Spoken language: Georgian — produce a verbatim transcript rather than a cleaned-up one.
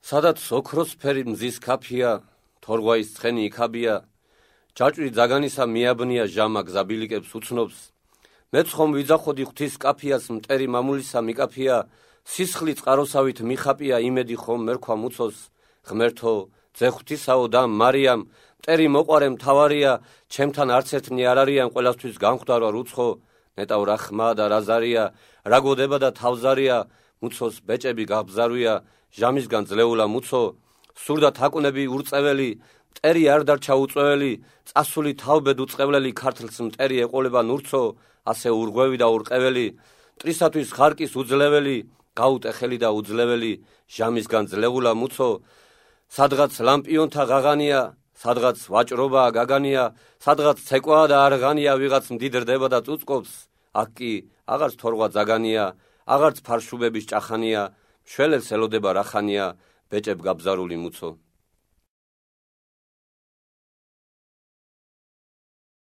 სადაც ოქროსფერი მზის ქაფია, თორღვაის ცხენი იქაბია, ჯაჭვი ძაგანისა მიაბნია ჟამა გზაბილიკებს უცნობს. მეც ხომ ვიძახოდი ღვთის კაფიას, მტერი მამულისა მიკაფია, სისხლი წყაროსავით მიხაპია, იმედი ხომ მერქვა მუცოს. ღმერთო, ძე ღვთისაო და მარიამ, მტერი მოყარე მთავარია, ჩემთან არც ერთნი არ არიან, ყველასთვის განხვდარვა რუცხო. ნეტავ რა ხმა და რა ზარია, რა გოდება და თავზარია, მუცოს ბეჭები გაბზარვია, ჟამისგან ძლეულა მუცო. სურდა თაკუნები ურწეველი, მტერი არ დარჩა უწვეველი, წასული თავბედ უწყევლელი, ქართლს მტერი ეყოლება ნურცო, ასე ურღვევი და ურყეველი, მტრისათვის ხარკის უძლეველი, გაუტეხელი და უძლეველი, ჟამისგან ძლეულა მუცო. სადღაც ლამპიონთა ღაღანია, სადღაც ვაჭრობა გაგანია, სადღაც ცეკვაა და არღანია, ვიღაც მდიდრდება და წუწკობს. აქ კი აღარც თორღვა ძაგანია, აღარც ფარშუბების ჭახანია, მშველებს ელოდება რახანია, ბეჭებ გაბზარული მუცო.